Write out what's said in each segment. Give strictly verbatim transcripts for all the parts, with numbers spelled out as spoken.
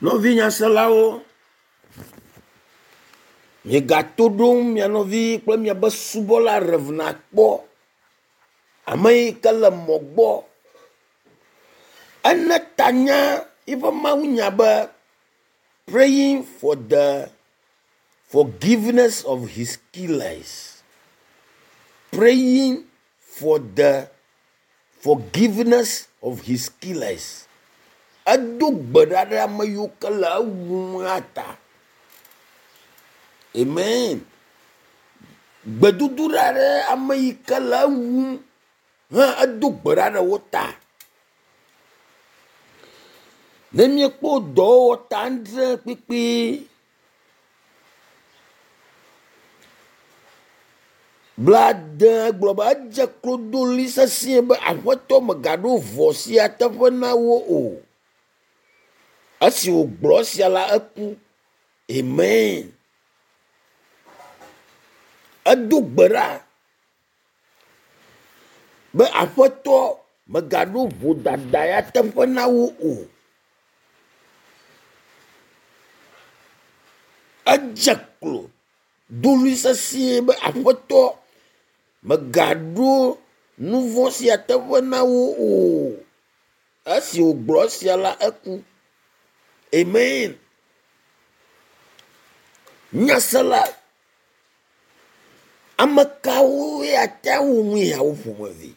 Nɔvi nyaselawo, miegato ɖom mia nɔvi kple miabe subɔla Rev kpɔ. Ame yi ke le mɔ gbɔ. Ene tanya yiƒe mawunya be praying for the forgiveness of his killers. Praying for the forgiveness of his killers. Edo gbe ɖa ɖe ame yiwo ke le ewum la ta. Amen. Gbedodo ɖa ɖe ame yi ke le ewum hã edo gbe ɖa ɖe wo ta. Ne míekpɔ dɔwɔwɔ ta adre kpikpi blaade gblɔ be edze klo do ɣli sesĩe be aƒetɔ megaɖo vɔ̃ sia teƒe na wo o. Esi wògblɔ esia la eku. Amen. Edo gbe ɖa be aƒetɔ megaɖo vodada ya teƒe na wo o. Edze klo do ɣli sesĩe be aƒetɔ megaɖo nu vɔ̃ sia teƒe na wo o. Esi wògblɔ esia la eku. Amen. Nyasela, ame kawoe ate ŋu nu yawo ƒomevi?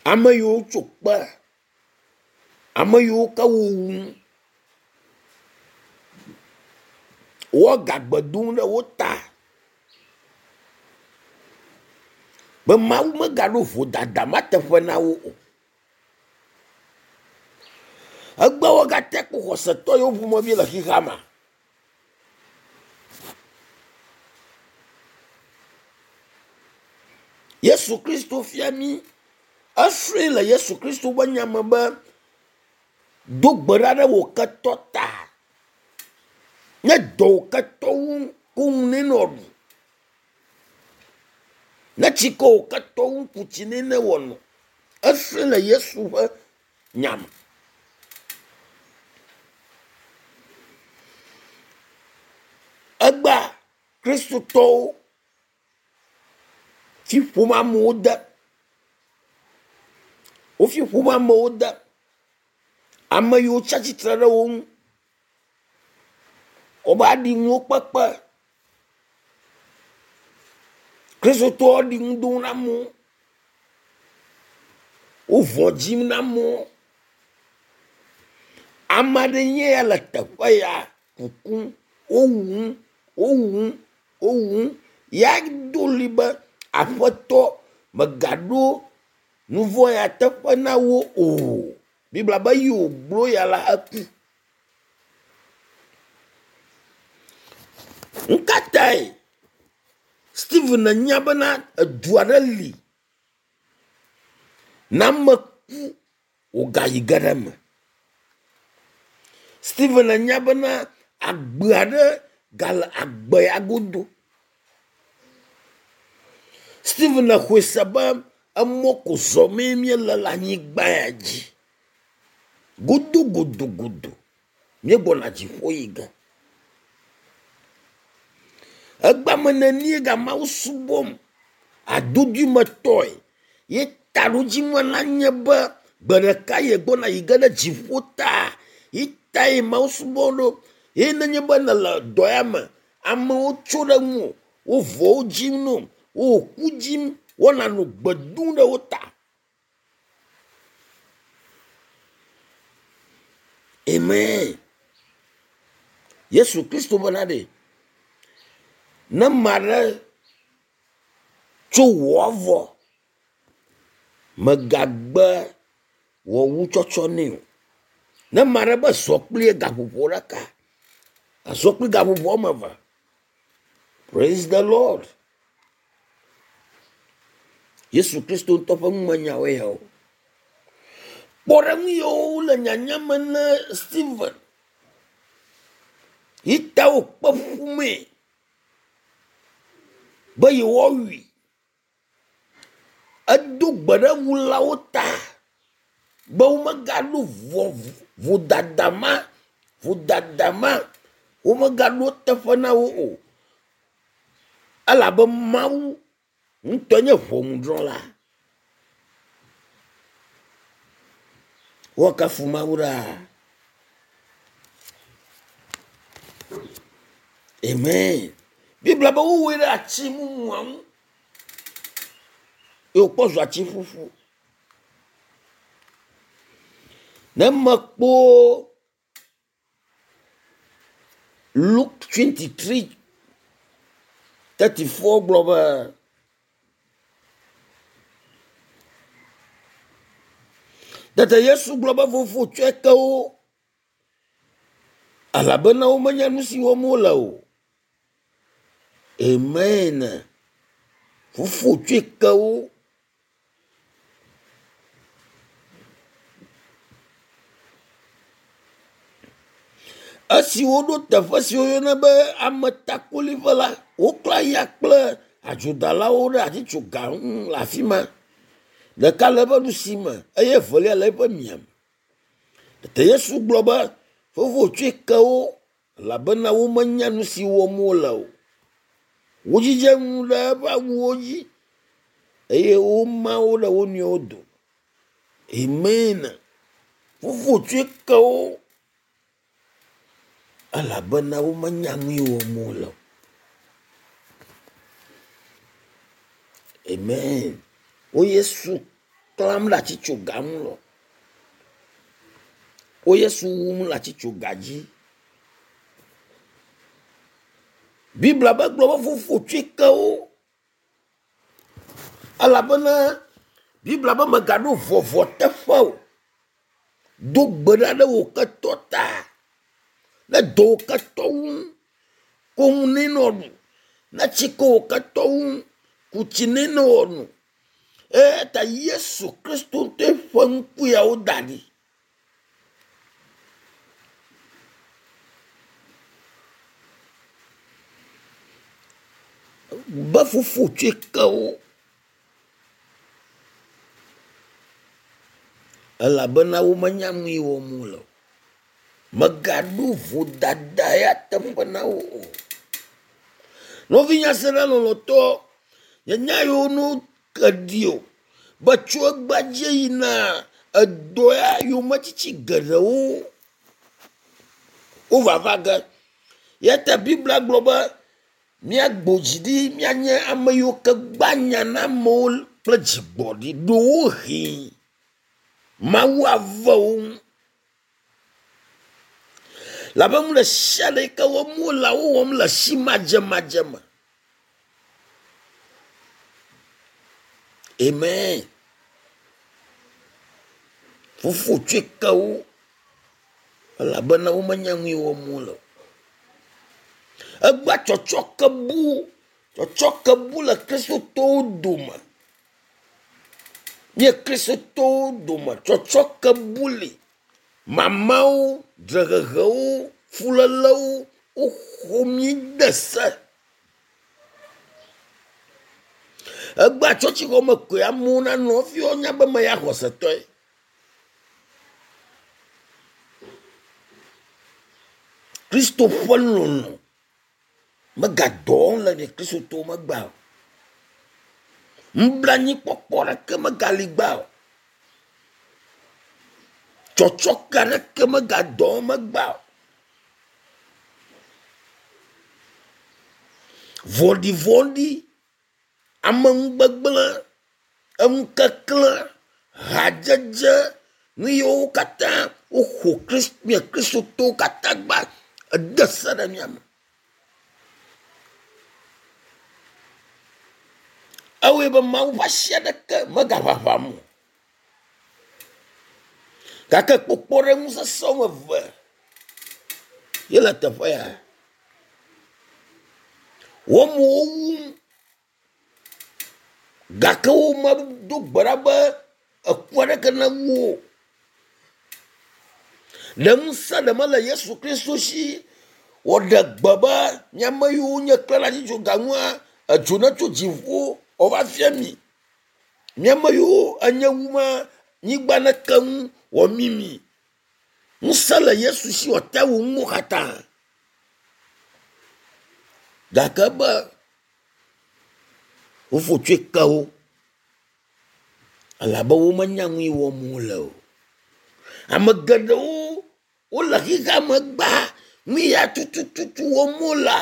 Ame yiwo tso kpe, ame yiwo ke wowum, woagagbe dom ɖe wo ta be Mawu megaɖo vodada ma teƒe na wo o. Egbe wogate kpɔ xɔsetɔ yiwo ƒomevi le xexea me. Yesu Kristo fia mí, esrɔ̃e le Yesu Kristo ƒe nya me be do gbe ɖa ɖe wò ketɔ ta. Ne dɔ wò ketɔ ŋu ko ŋu ne nɔ ɖu. Ne tsi kɔ wò ketɔ ŋu ku tsi nɛ ne wòano. Esrɔ̃e le Yesu ƒe nya me. Egbea Kristotɔwo fi ƒom amewo de. Wofi ƒom amewo de. Ame yiwo tsi atsitre ɖe wo ŋu. Wobe aɖiŋuwo kpekpe. Kristotɔwo aɖiŋu dom na amewo. Wo vɔ̃ dzim na amewo. Ame aɖe nye ya le teƒe ya kukum. Wowum, wowum, wowum. Ya do ɣli be aƒetɔ megaɖo nu vɔ̃ ya teƒe na wo o. Biblia be yi wògblɔ ya la eku. Nu ka tae Stephen nya bena edu aɖe li ne ame ku wògayi ge ɖe eme. Stephen nya bena agbe aɖe gale agbe ya godo. Stephen xɔe se be emɔ ko zɔmee míele le anyigba ya dzi. Godo godo godo míegbɔna dziƒo yi ge. Egbe ame nenie ga Mawu subɔm adodoemetɔe ye taɖodzinua nanye be gbe ɖeka ye gbɔna yi ge ɖe dziƒo ta ye tae Mawu subɔm ɖo. Ye nenye be nele dɔ ya me, amewo tso ɖe ŋuwò, wo vɔwo dzim no, wo ku dzim, wona nɔ gbe dom ɖe wo ta. Amen. Yesu Kristo bena ɖe, ne ame aɖe tso wò avɔ, megagbe wò wu tsɔtsɔ nɛ o. Ne ame aɖe be zɔ kpli ye gaƒoƒo ɖeka, azɔ kpli gaƒoƒo woame eve. Praise the Lord. Yesu Kristo ŋutɔ ƒe numenyawoe yawo. Kpɔɖeŋu yiwo le nyanya me na Stephen yi ta wòkpe ƒumee be yewoawui. Edo gbe ɖe wulawo ta. Be womegaɖo vɔ vodada ma vodada ma womegaɖo teƒe na wo o. Elabe Mawu ŋutɔ nye ʋɔnudrɔ̃la. Woakafu Mawu ɖaa. Amen. Biblia be wowɔe ɖe ati mumua ŋu. Ye wòkpɔ zu ati ƒuƒu. Ne mekpɔ Luke twenty-three thirty-four gblɔ be tete Yesu gblɔ be fofo tsɔe ke wo elabena womenya nu si wɔm wole o. Amen. Fofo tsɔe ke wo. Esi woɖo teƒe si woyɔna be ametakoliƒe la, woklã ya kple adzodalawo ɖe atitsoga ŋu le afi ma. Ɖeka le eƒe ɖusime eye evelia le eƒe miame. Tete Yesu gblɔ be fofo tsɔe ke wo elabena womenya nu si wɔm wole o. Wodzidze nu ɖe eƒe awuwo dzi eye woma wo ɖe wo nɔewo dome. Amen. Fofo tsɔe ke wo elabena womenya nu yi wɔm wole o. Amen. Wo Yesu klãm ɖe atitsoga ŋu lɔ. Wo Yesu wum le atitsoga dzi. Biblia be gblɔ be fofo tsɔe ke wo. Elabena Biblia be megaɖo vɔvɔ teƒe o. Do gbe ɖa ɖe wò ketɔ ta. Ne dɔ wò ketɔ ŋu, ko ŋu nɛ nɔ ɖu. Ne tsi ko wò ketɔ ŋu, ku tsi nɛ nɔ nu. Eya ta Yesu Kristo ŋutɔe ƒe ŋku yawo da ɖi. Be fofo tsɔe ke wo. Elabena womenya nu yi wɔm wole o. Megaɖo vodada ya teƒe na wo o. Nɔvinye se ɖe lɔlɔ̃tɔ, nye nya yiwo no ke ɖi o. Be tso egbea dzi yina edɔ ya yometsitsi geɖewo wovava ge. Ya ta Biblia gblɔ be míagbo dzi ɖi míanye ame yiwo ke gbã nya na amewo kple dzigbɔɖi ɖewohĩ Mawu ave wo ŋu. Labe nu ɖe sia ɖe yi ke wɔm wole wowɔm le si madzemadze me. Amen. Fofo tsɔe ke wo elabena womenya nu yi wɔm wole o. Egbea tsɔtsɔ ke bu tsɔtsɔ ke bu le kristotɔwo dome. Nye kristotɔwo dome tsɔtsɔ ke bu li. Mamawo, dzrehehewo, fulélewo woxɔ mí de se. Egbea tsɔtsixɔme koe amewo nanɔ hafi woanya be meya xɔsetɔe. Kristo ƒe lɔlɔ̃ megadɔ wɔm le nye kristotɔwo megbea o. Nublanuikpɔkpɔ ɖeke megali gbea o. Tsɔtsɔke aɖeke megadɔ wɔm megbea o. Vɔ̃ɖivɔ̃ɖi, ameŋugbegblẽ, eŋukeklẽ, hadzedze, nu yiwo katã woxɔ Krist- mía kristotɔwo katã gba ede se ɖe mía me. Ewɔe be Mawu ƒe asi aɖeke megaʋaʋam o. Gake kpɔkpɔɖeŋu sesẽ woame eve ye le teƒe ya. Woamewo wum gake womedo gbe ɖa be eku aɖeke newu wo o. Ɖe ŋusẽ ɖe mele Yesu Kristo si wòɖe gbe be miame yiwo nye klẽ ɖe atitsoga ŋua edzo netso dziƒo wòava fia mi. Miame yiwo enye wuma nyigba ne ke ŋu wɔ mimi. Ŋusẽ le Yesu si wòate wu nuwo katã. Gake be wofo tsoe ke wo elabe womenya nu yi wɔm wole o. Ame geɖewo wole xexea me gbaa nu ya tutututu wɔm wolea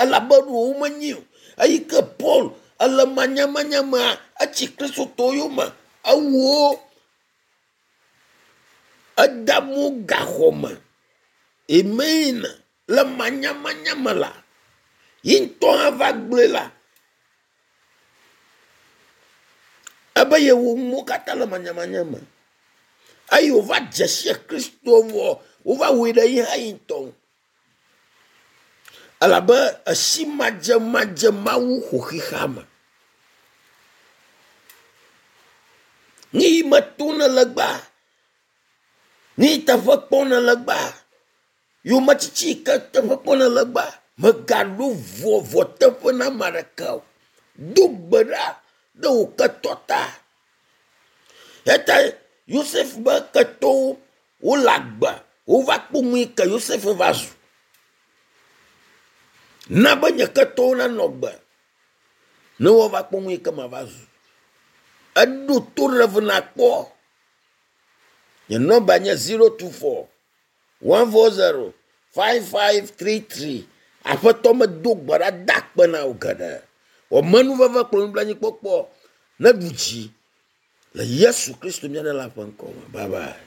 elabe ɖo womenyi o. Eyi ke Paul ele manyamanya mea etsi kristotɔwo yome ewu wo ede amewo gaxɔ me. Amen. Le manyamanya me la, yi ŋutɔ hã va gblɔe la ebe yewo nuwo katã le manyamanya me. Eye wòva dze si Kristo vɔ wova wɔe ɖe yi hã yi ŋutɔ ŋu. Elabe esi madzemadze Mawu ƒo xexea me. Nu yi me tom nele gbea, nu yi teƒe kpɔm nele gbea, yometiti yi ke teƒe kpɔm nele gbea, mègaɖo vɔ vɔ teƒe na ame aɖeke o. Do gbe ɖa ɖe wò ketɔ ta. Eya ta Yosef be ketɔwo wole agbe wova kpɔ nu yi ke Yosef va zu. Na be nye ketɔwo nanɔ agbe ne woava kpɔ nu yi ke mava zu. Eɖo to ɖe nakpɔ. Nye nɔmba nye zero two four one four zero five five three three. Aƒetɔ medo gbe ɖa da akpe na wò geɖe. Wɔ menuveve kple nublanuikpɔkpɔ neɖu dzi le Yesu Kristo mía Ɖela ƒe ŋkɔ me. Bye bye.